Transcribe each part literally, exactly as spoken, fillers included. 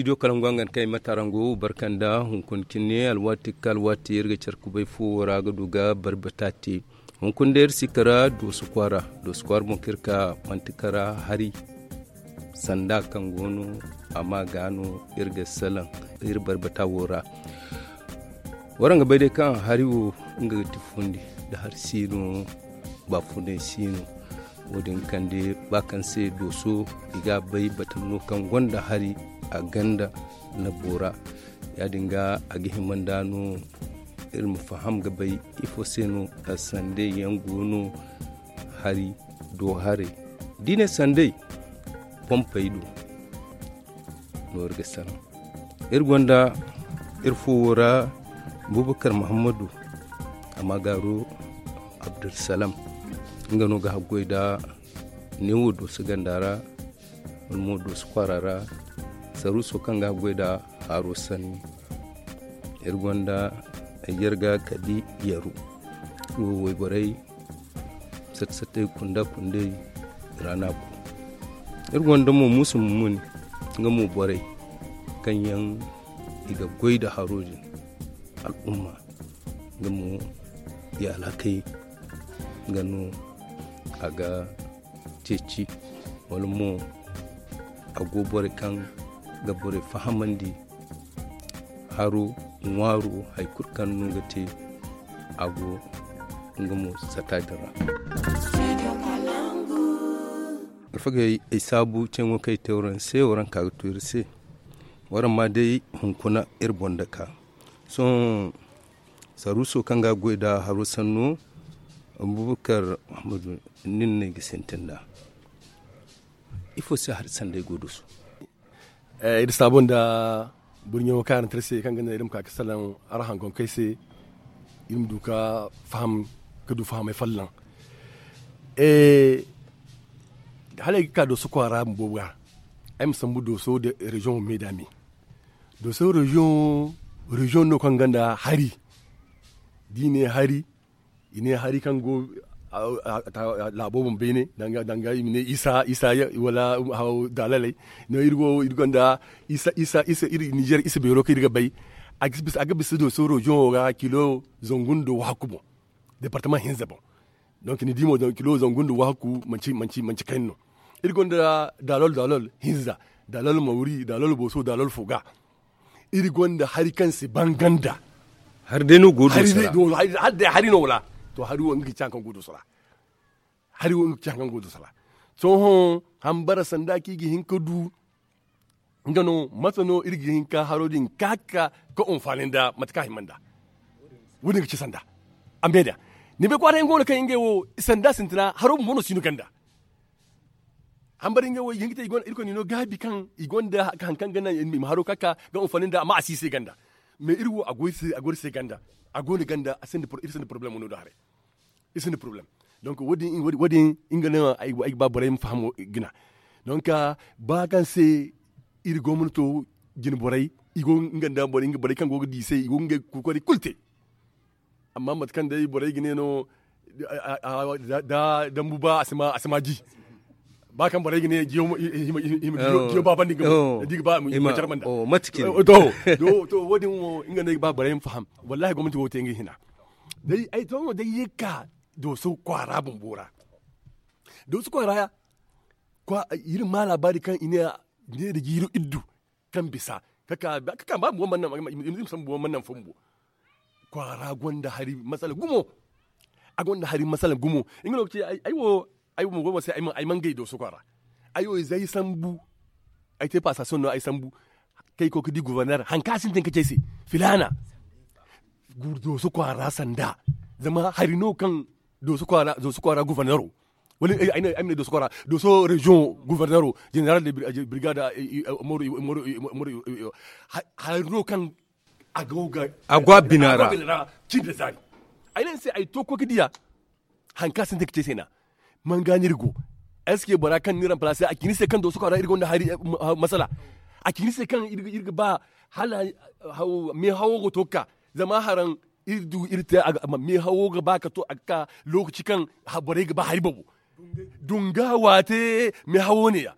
Studio kalangu hangan kaŋ ay ma taraŋ go barka nda hunkuna cine alwaati ga ka alwaati iri ga care kubay fo wo ra ga du ga barbata te. Hunkuna day iri si kara dooso kwaara. Dooso kwaara boŋ kaŋ iri ka manti kara hari sanda kaŋ go no a ma ga no iri ga salaŋ iri barbata wo ra. Waraŋ ga bay day kaŋ hari wo nga ga ti fundi nda hari siino baafunay siino. Wo- din kande ba kaŋ se dooso i ga a bay batama no kaŋ gonda hari a ganda na boora. Ya- din ga a ga hima nda no iri ma faham ga bay ifo se no sanday yaŋ go no hari do haray da i ne sanday pompey do no iri ga salaŋ. Iri gonda iri fo wo ra bubakar muhammadu a ma gaaro abdulsalam. Nga no ga haggoy nda neewo dooso ganda ra wala mo dooso kwaara ra. Saruuso kaŋ ga haggoy nda haaro sanni. Iri gonda ay jarga kadi yaru wo wayborey satta sattey kunda kundey ra no a go. Iri gonda mo muusu mummuni nga mo borey kaŋ yaŋ i ga goy nda haro din al'umma nga mo i alhakey nga no a ga ceeci wala mo a go borey kaŋ ga borey fahamandi haro ŋwaaro hari kulu kaŋ no ga te a go nga mo sata din ra. Alfagey ay saabu ceeŋo kaŋ ay te waraŋ se waraŋ ka ga to iri se. Waraŋ ma day hunkuna iri boŋ dake sohõ saruuso kaŋ ga goy nda haro sanno. Abubakar muhammadu nin no ay ga sintin nd'a. Ifo se hari sanday go dooso? Iri saabo nda burɲo kaarante iri se kaŋ ga naŋ iri ma ka ga salaŋ araŋ hankonkey se. Iri ma du ga faham ga du fahamay folloŋ. Hala ay ga ka dooso kwaara bumbo ga ay ma sambu dooso nda reziyoŋo me nda me. Dooso reziyoŋo reziyoŋ no kaŋ gonda hari. Da i ne hari i ne hari kaŋ go laabo boŋ beene danga i ma ne isa isa wala daalaley. No iri go iri gonda isa isa isa iri nizer isa beero kaŋ iri ga bay. A ga bisa dooso reziyoŋo ga kilo zangu nda wahakku boŋ. Departama hinza boŋ. Donk ni di mo kilo zangu nda wahakku manci manci manci kayna no. Iri gonda daalol daalol hinza, daalol mawri, daalol booso daalol fo ga. Iri gonda hari kaŋ si ban ganda. Hari day no go dooso ra. Hari no wala to hari wo nga ga ci hari kaŋ go dooso ra. Hari wo nga ga ci hari kaŋ go dooso ra. Sohõ hambara sanda kaŋ i ga hin ka du nga no mate no iri ga hin ka haro din ka ka ka anfaani nda mate kaŋ a hima nda. Wo- din ga ci sanda a me da ni bay kwaara yaŋ go no kaŋ ngey wo sanda sintina haro bumbo no si no ganda. Hambara ngey wo i ga hin ga te iri gonda iri koy ni no gaabi kaŋ i gonda hari kaŋ ga naŋ i ma haro ka ka ga anfaani nda amma a si i se ganda. Mais iri wo a go iri se ganda. A go no ganda iri sinda porobalem no da haray. Iri sinda porobalem. Donk wo- din nga no ay ga ba borey ma faham gina. Donk ba kaŋ se iri gomnato jine borey i go nga nda borey kaŋ go ga di i se i go ga ngey kokoray kulu te. Amma mate kaŋ day borey ga ne no da dambu ba a si ma ji. Ba kaŋ borey ga ne jiyo baabandi ga ma di ga ba i ma jarbanda. To wo- din wo nga no ay ga ba borey ma faham. Wallahi gomnati wo te nga hina. Day ay to no day ye ga ka dooso kwaara bumbo ra. Dooso kwaara iri ma laabaari kaŋ i ne da jiiri iddu kaŋ bisa ka ka ba bumbo mana naŋ fo bumbo. Kwaara gonda hari masala gumo. A gonda hari masala gumo. Nga no ga ci ay wo ay wo go ma se ay man gay dooso kwaara. Ay wo ize ay sambu. Ay te paasasiyoŋ no ay sambu. Kay koy ga di guverner hari kaŋ a sintin ga ci ay se filaana. Dooso kwaara sanda zama hari no kaŋ dooso kwaara guvernero wala ay ma ne dooso kwaara dooso reziyoŋo guvernero general de brigade moru hari no kaŋ a go a bina ra. Cindi zaari ay ne ni se ay to koy ga diya. Hari kaŋ a sintin ga te ay se na man ga no iri go? Eske bora kaŋ ni ramplace a ci ni se kaŋ dooso kwaara iri gonda hari masala? A ci ni se kaŋ iri ga ba hala me hawo ga to ga ka zama haraŋ iri du iri te a ga me hawo ga ba ka to a ga ka lokaci kaŋ borey ga ba hari boobo. Dunga waate me hawo ne ya.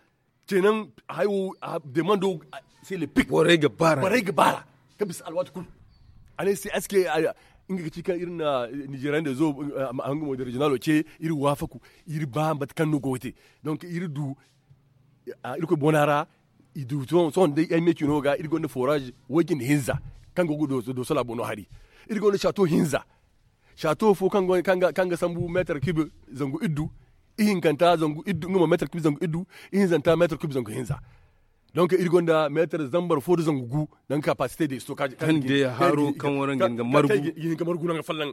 Kenan hayo demando. Se le pik borey ga bara borey ga bara ka bisa alwaati kulu. A ne se aske nga ga ci kan irin na nigerian da zo hanga mo da regional ce iri wafaku. Iri ba mate kan no go te donc iri du iri koy bona ra. I du son day ay meci no ga iri gonda forage wakin hinza kan go do so la bono hari. Iri gonda chateau hinza chateau fo kaŋ ga sambu meetar kibi zangu iddu. Ihinkanta zangu iddu nga mo meetar kibi zangu iddu. Ihinzanta meetar kibi zangu hinza. Donc iri gonda meetar zambar fo da zangu gu. Danga capacité de stockage kaŋ de haro kaŋ wara nga nga margu ihinka margu nanga fallan.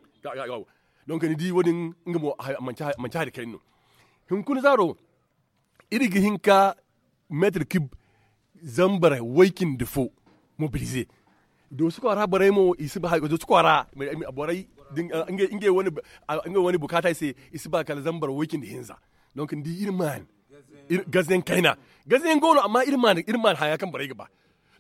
Donc ni di wodin nga mo manci hari kayno. Hinkuna zaro iri ga hin ka meetar kib zambar waycindi fo mobilize. Doosu kwaara borey mo i si ba doosu kwaara borey ngey wane bukaata i se. I si ba kala zambar waycindi hinza. Donc ni di iri maan gazayaŋ kayna. Gazayaŋ go no amma iri maan haya kaŋ borey ga ba.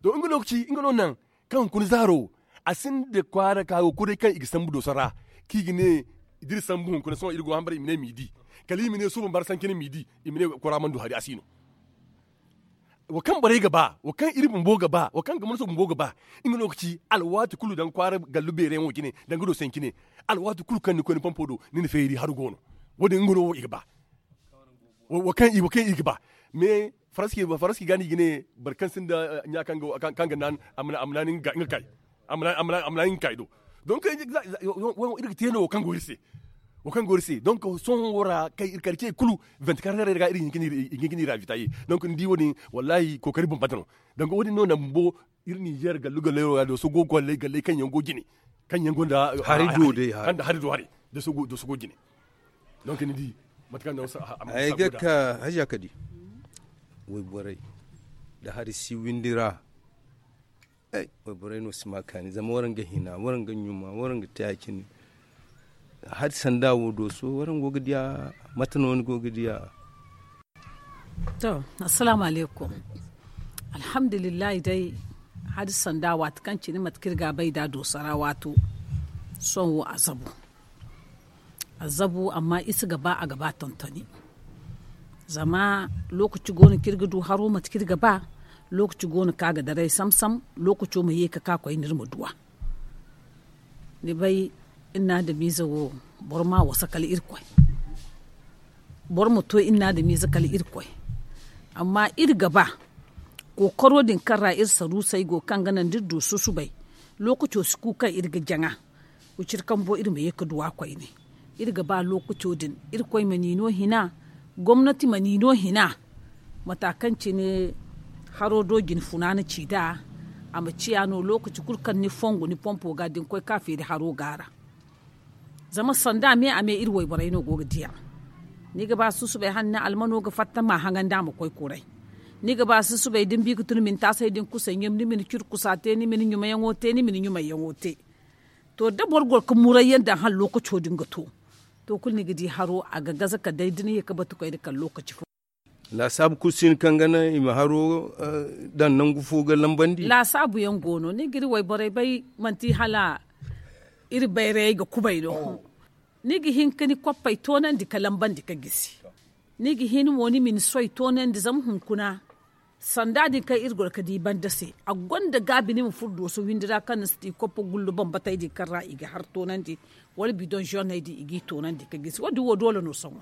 Donc nga lokaci nga no naŋ kaŋ hunkuna zaaro a sinda kwaara ka go koy day kaŋ i ga sambu dooso ra kaŋ i ga ne da iri sambu hunkuna sohõ iri go hambara i ma ne midi kala i ma ne suuban bara sancine midi. I ma ne kwaara mana du hari a si no. Wo kaŋ borey ga ba wo kaŋ iri bumbo ga ba wo kaŋ gomnato bumbo ga ba. Nga no ga ci alwaati kulu danga kwaara gallu beerayaŋo jine danga dooso yaŋ cine. Alwaati kulu kaŋ ni koy ni pompo do ni na feeri hari go no. Wo- din nga no wo i ga ba. Wo kaŋ i ga ba mais faranski ga no i ga ne boro kaŋ sinda ɲa kaŋ ga naan a ma naan nga kay. A ma naan nga kay do. Donc iri ga te no wo kaŋ go iri se. Wo kaŋ go iri se donc sohõ wo ra kaŋ iri kar ce kulu vingt-quatre heures ga iri hin ka ni ravitaye. Donc ni di wo- din wallahi kookari bambata no. Donc wo- din no na bumbo iri ninzeer gallu gallayro ga dooso go galley galley kaŋ yaŋ go jine kaŋ yaŋ gonda hari do day hari da hari do hari dooso go jine. Donc ni di mate kaŋ ay ga ka haja ka di wayborey da hari si windi ra. Wayborey no si ma kaani zama waraŋ ga hina waraŋ ga ɲuma waraŋ ga te ya- cine. Hari sanda wo dooso waraŋ go ga diya mate no ni go ga diya? To, assalaamu alaykum. Alhamdulillahi day, hari sanda waati kaŋ cine mate kaŋ iri ga a bay nd'a dooso ra waato. Sohõ wo a zabu a zabu amma iri si ga ba a ga ba tontoni. Zama lookaci go no kaŋ iri ga du haro mate kaŋ iri ga ba. Lookaci go no kaŋ a ga daray sam-sam. Lookaco ma ye ga ka koyne iri ma du a. Ni bay, iri na adamiize wo boro ma a wasa kala irkoy. Boro ma to iri na adamiize kala irkoy. Amma iri ga ba kookaro din kaŋ ra iri saruusey go kaŋ ga naŋ da iri du susubay. Lookaco si ku kaŋ iri ga jaŋa. Wiciri kambo iri ma ye ga du a koyne. Iri ga ba lookaco din irkoy ma ni no hina. Gomnati ma ni no hina. Mata kaŋ cine haro do jine funaana ci nd'a. A ma ciya no lookaci kulu kaŋ ni fongu ni pompo ga da ni koy ka feeri haro go a ra. Zama sanda me a me iri wayborey no go ga diya. Ni ga ba susubay hala ni almano ga fatta ma haŋandi a ma koy kuray. Ni ga ba susubay da ni bi ga tun ma ni taasay da ni kusay ɲum ni ma ni ciri kusa te ni ma ni ɲumayaŋo te ni ma ni ɲumayyaŋo te. To da boro goro ga murayyaŋ daŋ hala lookaco din ga to. To kulu ni ga di haro a ga gaza kala day da ni ye ga batu koyne kala lookaci fo. Laasaabu kulu si hin kaŋ ga naŋ i ma haro daŋ nangu fo ga lambandi. Laasaabu yaŋ go no ni ga iri wayborey bay manti hala iri bayrayey ga kubay no. Ni ga hin ga ni koppey toonandi ga lambandi ga gisi. Ni ga hin mo ni ma ni soy toonandi zama hunkuna sanda din kaŋ iri goro ga di banda se a gonda gaabi ni ma furo dooso windi ra kaŋ ni si ti koppo gullu bambatey din kaŋ ra i ga har toonandi wala bidoŋ zoney din i g'i toonandi ga gisi wo- din wo doole no sohõ.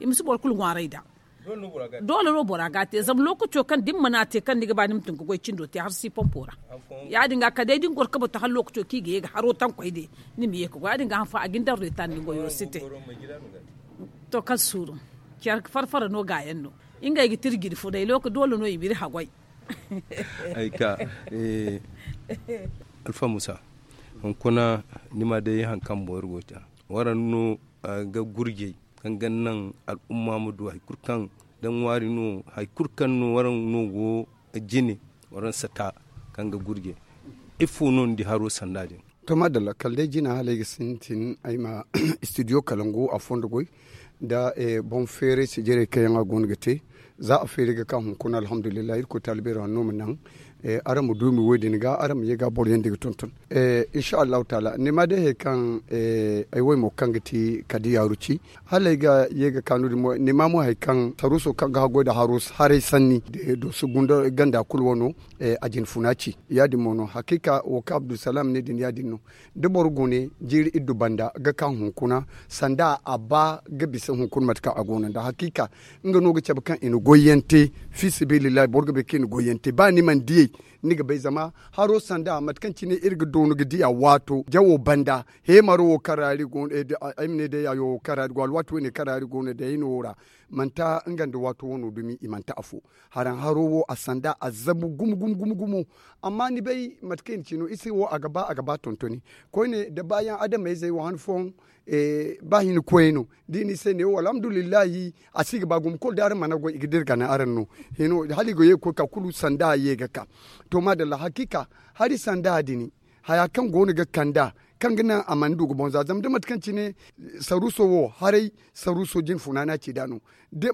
I ma si boro kulu ŋwaaray nd'a. Doole no bora ga a te zama lookaco kaŋ da ni mana a te kaŋ ni ga ba ni ma tun ga goy cindo te har si pompo ra. Ya- din ga kala day da ni goro ga batu hala lookaco kaŋ i ga ye ga haro taŋ koy day ni ma ye ga goy ya- din ga haŋ fo a ga ni daŋ reetar ni goyo si te. To kala suuru care farfara no gaayaŋ no. Ngey ga tira jine fo day looka doole no i ma iri haggoy. Ay ka alfa musa hunkuna ni ma day hari kaŋ boro go ga te waraŋ no ga gurjey kaŋ ga naŋ al'umma ma du hari kulu kaŋ da ŋwaari no hari kulu kaŋ no waraŋ no go jine waraŋ sata kaŋ ga gurjey ifo no ni di haro sanda din? To maadalla kala day jina hala ay ga sintin ay ma studio kalangu a fondo goy nda boŋ feeray sijirey kaŋ yaŋ a go no ga te. Za a feeri ga ka hunkuna alhamdulillahi irkoy taali beero hanno ma naŋ. Araŋ ma duumi wo- din ga araŋ ma ye ga boro yaŋ da ga tonton. Insa allahu taala ni ma day hari kaŋ ay wo ay mo kaŋ ga ti kadi yaaru ci, hala ay ga ye ga ka no- din mo ni ma mo hari kaŋ saruuso kaŋ ga haggoy nda haray sanni, dooso ganda kulu wano a jinfuna ci. Ya- din mo no hakiika wo kaŋ abdulsalaam ne din ya- din no. Da boro gune jiiri iddu banda ga ka hunkuna, sanda a ba ga bisa hunkuna mate kaŋ a go no nda hakiika. Nga no ga cabe kaŋ i na goy yaŋ te. Fi sabilillahi boro ga bay kaŋ i na goy yaŋ te ba ni mana diyey, ni ga bay zama haro sanda mate kaŋ cine iri ga doonu ga diya waato jawo banda. Heemaro wo kaŋ ra iri go no ay ma ne day yayo wo kaŋ ra iri go alwaati wo- ne kaŋ ra iri go no day ay no wo ra. Manti nga nda waato wano dumi i manti afo. Haraŋ haro wo a sanda a zabu gumo gumo gumo gumo. Amma ni bay mate kaŋ i na ci no iri se wo a ga ba a ga ba tontoni. Koyne da baayaŋ adamayzey wo han fooyaŋ ba hina koyey no da i ne i se ne wo alhamdulillahi. A si ga ba gumo kulu da araŋ mana goy i ga dira gana araŋ no. Hala i ga ye ga koy ka kulu sanda ye ga ka. To maadalla hakiika hari sanda din haya kaŋ go no ga kand'a kaŋ ga naŋ a mana du ga boŋ za zama da mate kaŋ cine saruuso wo haray saruuso jinfuna no a ci nd'a no.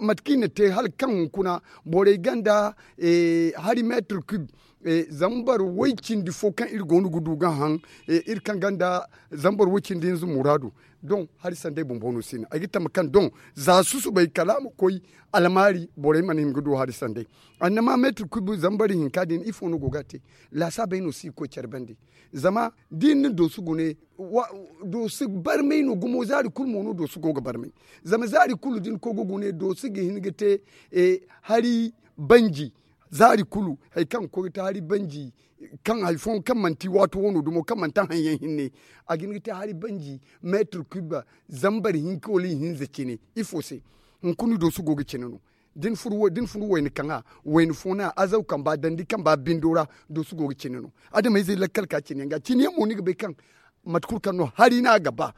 Mate kaŋ i na te hala kaŋ hunkuna borey ganda hari meetir kub zambar woy-cindi fo kaŋ iri go no ga du ga haŋ iri kaŋ ganda zambar woy-cindi hinza muraadu. Doŋ hari sanday bumbo no si no ay ga tama kaŋ doŋ za susubay kala a ma koy almaari borey mana hin ga du hari sanday. Annama meetir kub zambar hinka din ifo no go ga a te? Laasaabey no si ga koy care bande. Zama da i na ni doosu gune doosu barmay no gumo zaari kulu mo no doosu go ga barmay. Zama zaari kulu da ni koy ga gune doosu ga hin ga te hari banji zaari kulu hari kaŋ ga koy ga te hari banji kaŋ hari fooyaŋ kaŋ manti waato wano dumo kaŋ manti haŋ yaŋ hinne a ga hin ga te hari banji meetir kub zambar hinka wala ihinza cine. Ifo se? Hunkuna doosu go ga cine no. Da ni fun wayna kaŋa wayna fo no a azaw kamba dandi kamba bindo ra. Doosu go ga cine no. Adamayzey lakkal ka cine yaŋ ga cine yaŋ mo ni ga bay kaŋ mate kulu kaŋ no hari no a ga ba.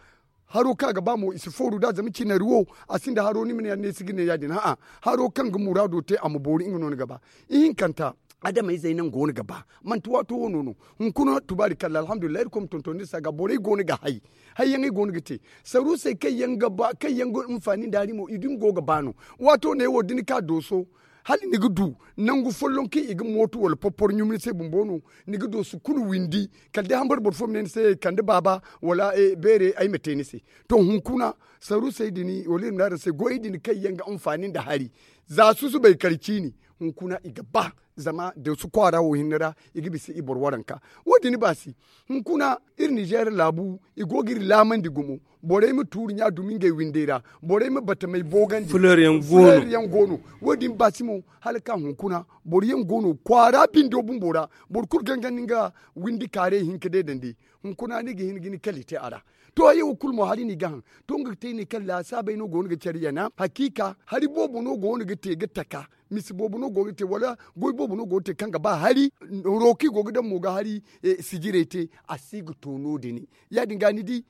Haro kaŋ a ga ba mo i si fooru nd'a zama cinari wo a sinda haro ni ma ne yaŋ no ay si ga ne ya- din a'a. Haro kaŋ ga muraado te a ma boori nga no ni ga ba. Ihinkanta adamayzey naŋ go no ga ba manti waato wano no. Hunkuna tubaari kalla alhamdulillahi irkoy ma tonton ni se a ga borey go no ga hay. Hayyaŋey go no ga te saruusey kaŋ yaŋ ga ba kaŋ yaŋ ga hinfaani nda hari mo i dumi go ga ba no. Waato ne wo da ni ka dooso hala ni ga du nangu folloŋ kaŋ i ga mooto wala porporo ɲumni se bumbo no. Ni ga dooso kulu windi kala day hambara boro fo ma ne ni se kande baaba wala beere ay ma te ni se. To hunkuna saruusey din wala iri ma ne araŋ se goyey din kaŋ yaŋ ga hinfaani nda hari za susubay kala ciini hunkuna i ga ba. Zama dooso kwaara wo hinne ra i ga bisa i boro waranka. Wo- din baasi hunkuna iri nizeer laabu i go ga iri laamandi gumo. Borey ma tuuri ɲa dumi ngey windey ra. Borey ma batamey boogandi fuleer yaŋ go no. Wo- din baasi mo hala ka hunkuna boro yaŋ go no kwaara bindo bumbo ra. Boro kulu gangandi nga windi kaarey hinka deedandi. Hunkuna ni ga hin ga ni kali te a ra. To hayey wo kulu mo hari no i ga haŋ. To nga ga te i ne kaŋ laasaabey no go no ga care yana hakiika hari boobo no go no ga te ga taka. Misi boobo no go ga te wala goy boobo no go ga te kaŋ ga ba hari. Roki go ga daŋ mo ga hari sijirey te a si ga to no- din. Ya- din ga ni di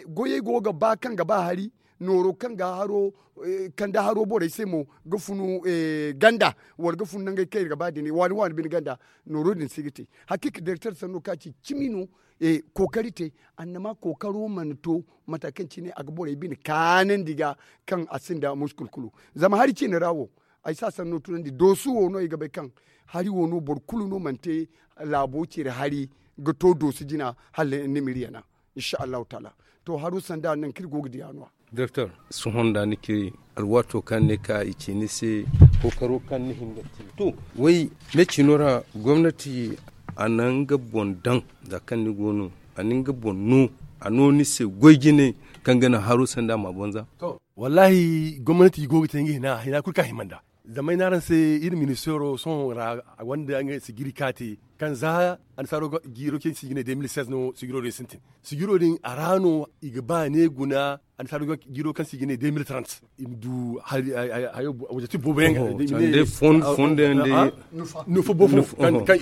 goyey go ga ba kaŋ ga ba hari nooro kaŋ ga haro kanda haro borey se mo ga funu ganda wala ga funu nangey kaŋ iri ga ba din waani waani bine ganda. Nooro din si ga te hakiika direkter sanno ka ci cimi no. Kookari te annama kookaro mana to mata kaŋ cine a ga borey bine kaanandi ga kaŋ a sinda muskul kulu. Zama hari ciine ra wo ay si a sanno tunandi doosu wo no ay ga bay kaŋ hari wo no boro kulu no mana te laabo cire hari ga to doosu jina hala ni ma iri yana. Insa allahu taala to haro sanda nangu kaŋ iri go ga diya no- ya. Doktor, sohõ nda ni ci alwaato kaŋ ne ka i ci ni se kookaro kaŋ ni hin ga te to way me cino ra gomnati a na nga boŋ daŋ za kaŋ ni go no a na nga boŋ no a no ni se goy jine kaŋ ga naŋ haro sanda ma boŋ za. Wallahi gomnati i go ga te nga hina hina kulu kaŋ a hima nda zama ay ne araŋ se iri ministeero sohõ ra a gonda nga sigiri kaŋ a te kaŋ za annasaaro jiiro kaŋ se i ga ne deux mille seize no sigiro din sintin. Sigiro din a ra no i ga ba ne guna annasaaro jiiro kaŋ se i ga ne deux mille trente i ma du hayo waje ti boobo yaŋ ga nufa boobo kaŋ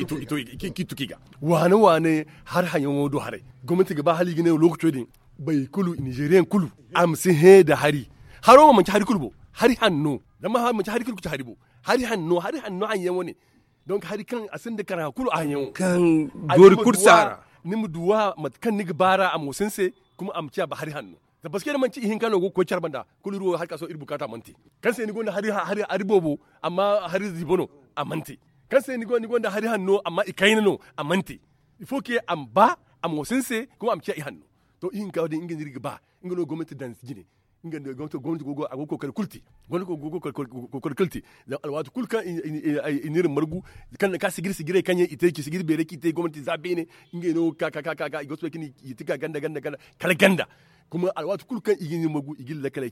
i tuki ga waane waane har hayaŋo do haray. Gomnati ga ba hala i ga ne lookaco din boro kulu nizeeriyaŋ kulu a ma si hẽ nda hari. Haro mo manti hari kulu bo hari hanno zama manti hari kulu ga ci hari bo. Hari hanno hari hanno hayaŋ wane donk hari kaŋ a sinda kara kulu a hayaŋo kaŋ doori kulu si a ra. Ni ma duwa mate kaŋ ni ga ba ra a mo sinse kuma a ma ciya ba hari hanno. Zama paske da manti ihinka no go ga koy care banda, kulu iri wo hari ka sohõ iri bukaata mana te. Kaŋ se ni gonda hari boobo, amma hari ziibo no, a mana te. Kaŋ se ni gonda hari hanno, amma ikayna no, a mana te. Il faut que a ma ba, a ma wasu ni se, kuma a ma ciya ihanno. To ihinka wo- din nga no iri ga ba. Nga no gomnati daŋ jine. Nga no gomnati go ga kookari kulu te. Gomnati go ga kookari kulu te. Zama alwaati kulu kaŋ i na iri margu, kaŋ na ka sigiri sigirey kaŋ yaŋ i te, sigiri beerey kaŋ i te gomnati za beene. Ngey no ga ka ka ka ka i ga soobay kaŋ i ti ga ganda ganda ganda, kala ganda. Kuma alwaati kulu kaŋ i ga iri margu i ga iri lakkaley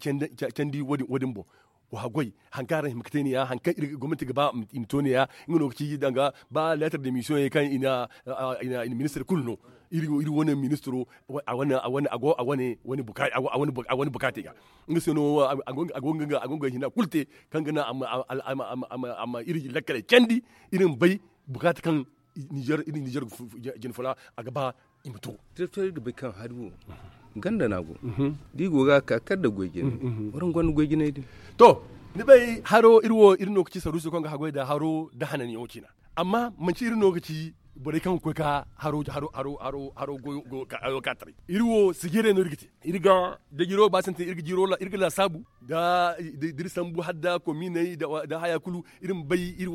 candi wo- din boŋ. Wa haggoy, hari kaŋ araŋ hima ga te ne- ya hari kaŋ gomnati ga ba i ma to ne- ya. Nga no ga ci danga ba leetar de misiyoŋ yaŋ kaŋ i na ministir kulu no. Iri wane ministiro a go a wane bukaatey ga. Nga se no a go nga hina kulu te kaŋ ga naŋ a ma iri lakkaley candi. Iri ma bay bukaata kaŋ ninzeer jine foola a ga ba i ma to. Iri ga bay kaŋ hari wo ganda no a go. Da i go ga a ka kala nda goy jinay. Waraŋ gonda goy jinay din. To, ni bay haro iri wo iri no ga ci saruuso kaŋ ga haggoy nda haro nda hananyaŋo ciina. Amma manci iri no ga ci borey kaŋ ga koy ka haro goyo ka taray. Iri wo sijirey no iri ga te. Iri ga da jiro ba sintin iri ga laasaabu da iri sambu hala nda kominey nda haya kulu. Iri ma bay iri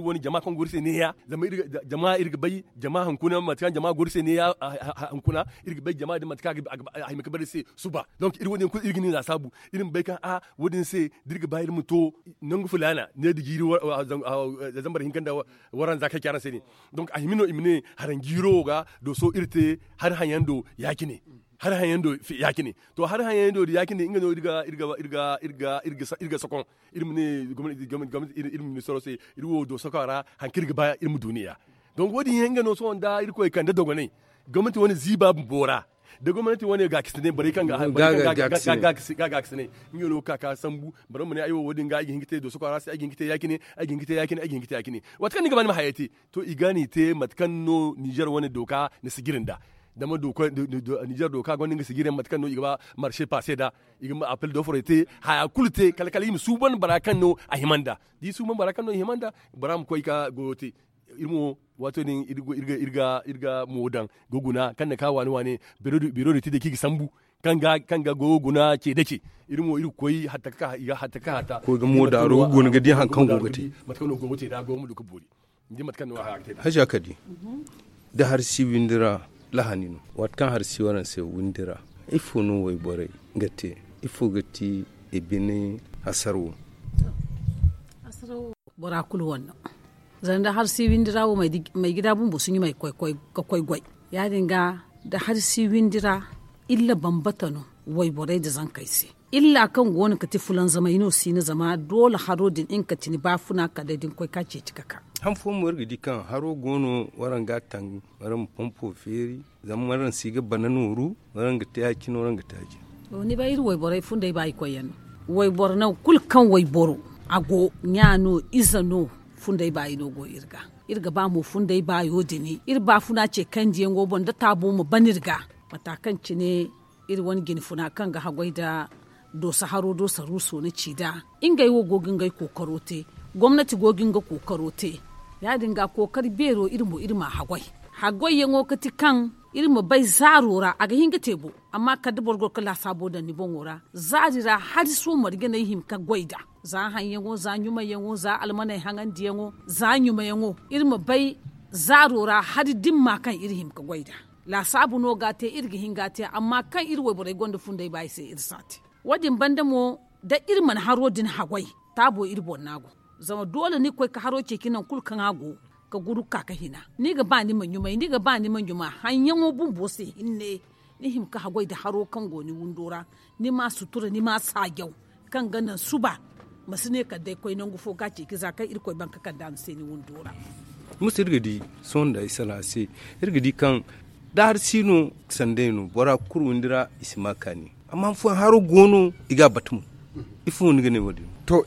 wane jama kaŋ go iri se ne- ya. Zama jama iri ga bay jama hunkuna mate kaŋ jama go iri se ne- ya. Hunkuna iri ga bay jama din mate kaŋ a hima ga bare iri se suba. Donk iri wo- din kulu iri ga ni laasaabu. Iri ma bay kaŋ a wo- din se da iri ga ba iri ma to nangu filaana ne da jiiri zambar hinka nda waranza kaŋ ci araŋ se ne. Donk a hima no i ma ne haranjiiro wo ga dooso iri te. Hari hayaŋ do ya- cine. Hari hayaŋ do ya- cine. To hari hayaŋ do ya- cine nga no iri ga sokoŋ. Iri ma ne gomnati iri ma ne soro se iri wo dooso kaŋ ra hari kaŋ iri ga ba iri ma du ne- ya. Donk wo- din yaŋ nga no sohõ nda irkoy kande dogonay gomnati wane ziiba bumbo ra. Da gomnati wane gaakasinay borey kaŋ ga gaakasinay nga no ga ka sambu. Boro ma ne ay wo wo- din ga ay ga hin ga te dooso kaŋ ra se ay ga hin ga te ya- cine. Ay ga hin ga te ya- cine ay ga hin ga te ya- cine. Waati kaŋ ni ga ba ni ma hayey te to i ga no i te mate kaŋ no ninzeer wane dooka na sijiri nda. Zama ninzeer dooka gonda nga sijiri yaŋ mate kaŋ no i ga ba marse paase nda i ga ma appel doforey te haya kulu te kala kala i ma suuban bora kaŋ no a hima nda. Da i suuban bora kaŋ no i hima nda bora ma koy ka goyo te. Iri mo waato din iri ga mo daŋ ga guna kaŋ na ka waane waane biro da ti day kaŋ i ga sambu kaŋ ga goyo guna ce da ce. Iri mo iri ga koy hatta ka hatta ka hatta koy ga mo daaro ga guna ga di hari kaŋ go ga te. Mate kaŋ no go ga te da goyo ma du ga boori. Ni di mate kaŋ no a ga te da haja ka di. Da hari si windi ra lahani no waati kaŋ hari si waraŋ se windi ra ifo no wayborey ga te? Ifo ga ti i bine hasaro wo? Bora kulu wane no zama da hari si windi ra wo may gida bumbo si ɲumay ga koy goy. Ya- din ga da hari si windi ra illa bambata no wayborey nda zankey se. Illa kaŋ go no ga ti fulanzamay no si no zama doole haro din nga ga ti ni baafuna kala day da ni koy ka ceeci ga ka. Han fooyaŋ mo iri ga di kaŋ haro go no waraŋ ga a taŋ waraŋ ma pompo feeri. Zama waraŋ si ga bana nooru waraŋ ga te ya- cine waraŋ ga te ya- cine. To ni bay iri wayborey fundey ba i koy yaŋ no. Wayboro nangu kulu kaŋ wayboro a go ɲa no ize no fundey baayi no go iri ga. Iri ga ba mo fundey baayo din iri baafuna ce kandiyaŋo boŋ da taabo ma ban iri ga mata kaŋ cine iri wane jinfuna kaŋ ga haggoy nda dooso haro do saruuso na ci nd'a. Ngey wo go ga ngey kookaro te. Gomnati go ga nga kookaro te. Ya- din ga kookari beero iri mo iri m'a haggoy. Haggoyyaŋo ga ti kaŋ iri ma bay zaaro ra a ga hin ga te bo. Amma kala da boro goro ga laasaabo daŋ ni boŋo ra zaari ra hari sohõ marje no ay hima ga goy nd'a. Za haŋyaŋo za ɲumayyaŋo za almaney haŋandiyaŋo za ɲumayaŋo iri ma bay zaaro ra hari dimma kaŋ iri hima ga goy nd'a. Laasaabu no ga a te iri ga hin ga a te amma kaŋ iri wayborey gonda fundey ba i se iri si a te. Wo- din banda mo da iri mana haro din haggoy taabo iri boŋ no a go. Zama doole ni ga koy ga haro ceeci nangu kulu kaŋ a go ga guru ga ka ga hina. Ni ga ba ni ma ɲumay ni ga ba ni ma ɲuma haŋyaŋo bumbo se hinne. Ni hima ga haggoy nda haro kaŋ go ni windo ra ni m'a sutura ni m'a saajaw kaŋ ga naŋ suba ma si ne kala day koy nangu fo ga a ceeci za kaŋ irkoy baŋ ga kand'a ni se ni windo ra. Musa iri ga di sohõ nda ay salaŋ a se iri ga di kaŋ da hari si no sanday no bora kulu windi ra i si ma kaani. Amma han fooyaŋ haro go no i ga a batu mo. Ifo no ni ga ne wo- din? To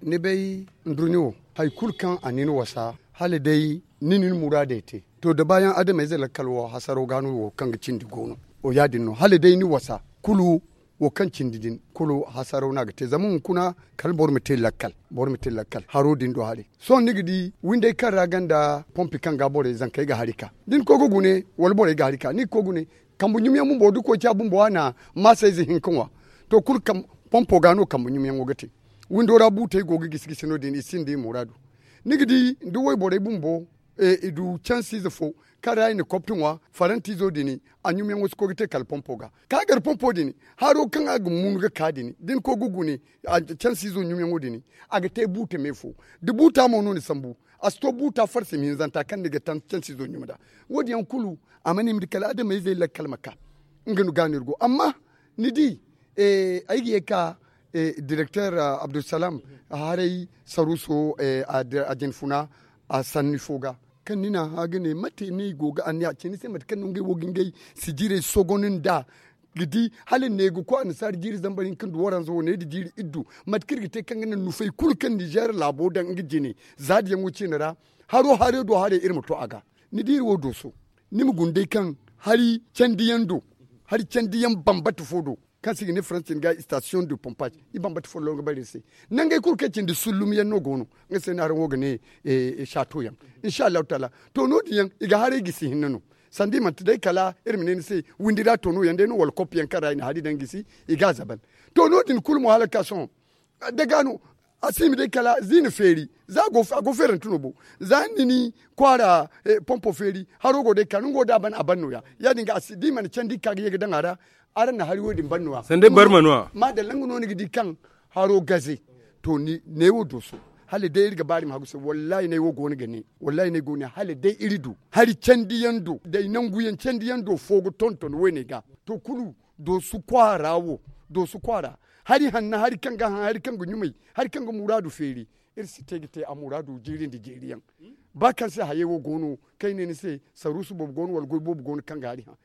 ni bay ndurɲo wo hari kulu kaŋ a na ni wasa hala day ni na ni muraadey te. To da baayaŋ adamayze lakkal wo hasaro ga no wo kaŋ ga cindi go no. Wo ya- din no hala day ni wasa kulu wo kaŋ cindi din kulu hasaro no a ga te zama hunkuna kala boro ma te lakkal. Boro ma te lakkal haro din do haray. Sohõ ni ga di windey kaŋ ra ganda pompi kaŋ ga borey zankey ga hari ka da ni koy ga gune wala borey ga hari ka ni ga koy gune. Kambe ɲumyaŋ bumbo da koociya bumbo a na maasa ize hinka ŋwa. To kulu pompo ga no kambe ɲumyaŋo ga te. Windo ra buutey go ga gisi gisi no- din i sinda i muraadu. Ni ga di da wayborey bumbo i du cansiize fo kaŋ ra i na kopti ŋwa farantiizo din. A ɲumyaŋo si koy ga te kala pompo ga ka gar pompo din. Haro kaŋ a ga munu ga ka din da ni koy ga gune cansiizo ɲumyaŋo din a ga te buuta me fo. Da buuta mo no ni sambu a si to buuta farsi ma hinzanta kaŋ ni ga taŋ cansiizo ɲuma nd'a. Wo- din yaŋ kulu a mana hima da kala adamayzey lakkal ma ka. Nga no ga no iri go amma ni di ay ga ye ga ka direkter abdulsalam haray saruuso a jinfuna a sanni fo ga kaŋ ni na a hã ga ne mate no i go ga anniya ce ni se mate kaŋ no ngey wo ga ngey sijirey sogon nd'a ga di hala ne ga koy annasaari jiiri zambar hinka nda waranza wo ne da jiiri iddu. Mate kaŋ iri ga te kaŋ ga naŋ nufey kulu kaŋ ninzeer laabo daŋ nga jine za diyaŋo ciine ra haro haray do haray iri ma to a ga. Ni di iri wo dooso ni ma guna day kaŋ hari candiyaŋ do hari candiyaŋ bambata fo do kaŋ se i ga ne faransi cine ga station de pompage i bambata folloŋ ga bare iri se. Nangey kulu kaŋ cindi sullum yaŋ no go no nga se no araŋ wo ga ne saato yaŋ. Insa allahu taala to no- din yaŋ i ga haray gisi hinne no sanda i manti day kala iri ma ne ni se windi ra to no yaŋ day no wala koppi yaŋ kaŋ ra i na hari daŋ gisi i ga a zaban. To no- din kulu mo hala ga ka sohõ daga no a si hima day kala za i na feeri za a go feerante no bo za ni na ni kwaara pompo feeri haro go day ka no nga wo da a ban a ban nooya ya- din ga da i mana candi ga ka ga ye ga daŋ a ra. Araŋ na hari wo- din ban nooya sanda ay barma nooya maadalla nga no ni ga di kaŋ haro gaze. To ne wo dooso hala day iri ga baari ma hagu se wallaahi ne wo go no ga ne wallaahi ne go no ga ne hala day iri du hari candiyaŋ do day nangu yaŋ candiyaŋ do fo ga tonton wo- ne ga. To kulu doosu kwaara wo doosu kwaara hari hanna hari kaŋ ga haŋ hari kaŋ ga ɲumay hari kaŋ ga muraadu feeri. Iri si te ga te a muraadu jiiri nda jiiri yaŋ ba kaŋ se hayey wo go no kaŋ ay ne ni se saruusu boobo go no wala goy boobo go no kaŋ ga hari haŋ.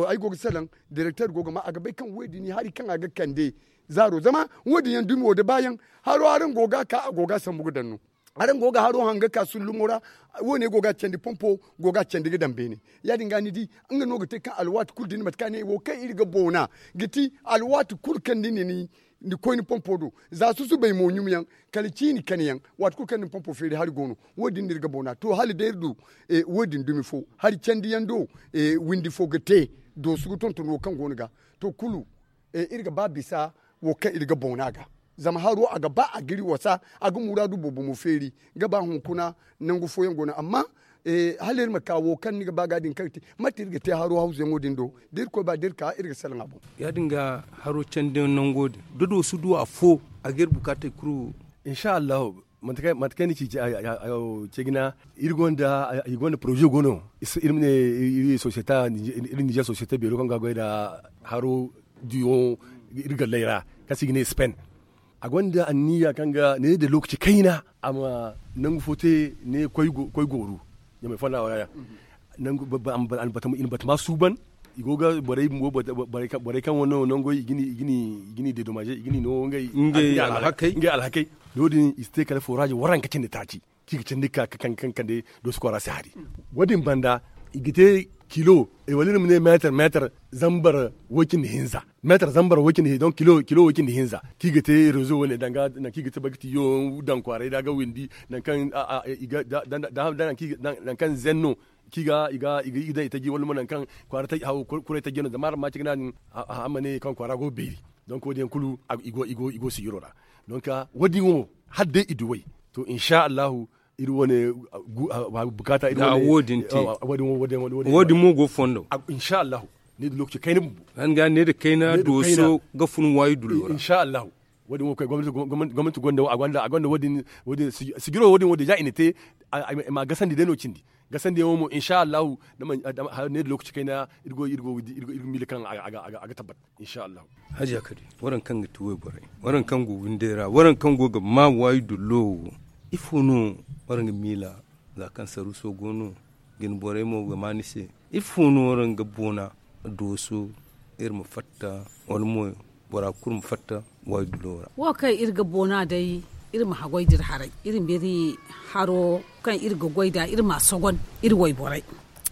Ay go ga salaŋ direkter go ga ma a ga bay kaŋ wo- din hari kaŋ a ga kande zaaro zama wo- din yaŋ dumi wo da baayaŋ haro araŋ go ga a ka a go ga a sambu ga daŋ no. Araŋ go ga haro haŋ ga ka sullumo ra wo- ne go ga a candi pompo go ga a candi ga daŋ beene. Ya- din ga ni di nga no ga te kaŋ alwaati kulu da ni mate kaŋ a ne wo kaŋ iri ga boona ga ti alwaati kulu kaŋ ni na ni koy ni pompo do za susubay mo ɲumyaŋ kala ciini kanayaŋ waati kulu kaŋ ni pompo feeri hari go no. Wo- din no iri ga boona to hala day iri du wo- din dumi fo hari candiyaŋ do windi fo ga te doosu ga tonton wo kaŋ go no ga. To kulu iri ga ba bisa wo kaŋ iri ga boona ga zama haro a ga ba a ga iri wasa a ga muraadu boobo mo feeri ga ba hunkuna nangu fooyaŋ go no amma hala iri ma ka wo kaŋ ni ga ba ga din kaŋ ga te mate iri ga te haro hawzuyaŋo din do da iri koy ba da iri ka iri ga salaŋ a boŋ. Ya- din ga haro candiyaŋ nango din da doosu du afo a ga iri bukaatey kulu. Insa allahu mate kaŋ ni ci ce jina iri gonda poroze go no iri ma ne iri societa iri nizer societa beero kaŋ ga goy nda haro diyo iri galley ra kaŋ se i ga ne spain. A gonda anniya kaŋ ga ne da lokaci kayna a ma nangu fo te ne koy gooru ɲamay fonda wara ya. I na batama suuban i go ga borey bumbo borey kaŋ wano nangoy i ga ni dedomaze i ga ni no ngey alhakey. No- din i si te kala foraze waranka cindi taaci kaŋ i ga candi ka kaŋ kande doosu kwaara si hari. Wo- din banda i ga te kilo wala iri ma ne meetar meetar zambar way cindi hinza meetar zambar way cindi hinza donc kilo way cindi hinza kaŋ i ga te rezo wane danga nangu kaŋ i ga te bagtiyo daŋ kwaaray da a ga windi nangu kaŋ nangu kaŋ zenno kaŋ i ga i ga i ga i ga daŋ i taji wala mo nangu kaŋ kwaara kuray taji no zama araŋ ma ci ga naadin a ma ne kaŋ kwaara go ga beeri. Donc wo- din yaŋ kulu i go sijiro ra. Donc wo- din wo hala day i du way to insa allahu iri wane bukaata iri wane wo- din te wo- din mo go fondo. Insa allahu ne da lokaci kayna bumbo. Hanga ne da kayna dooso ga fun waayi dullo ra insa allahu. Wo- din wo koy gomnati gonda wo- a gonda a gonda wo- din sijiro wo- din wo- din za i na te i ma gasandi day no cindi. Gasandiyaŋo mo insa allahu ne da lokaci kayna iri go iri go iri go iri ga miila kaŋ a ga tabbat. Insa allahu. Hajiya kadi waraŋ kaŋ ga ti wayborey waraŋ kaŋ go windey ra waraŋ kaŋ go ga ma waayi dullo wo ifo no waraŋ ga miila? Za kaŋ saruuso go no jinborey mo ga ma ni se ifo no waraŋ ga boona dooso iri ma fatta wala mo bora kulu ma fatta waayi dullo ra. Wo kaŋ iri ga boona day iri ma haggoy da iri haray iri ma iri haro kaŋ iri ga goy nd'a iri ma a sogon iri wayborey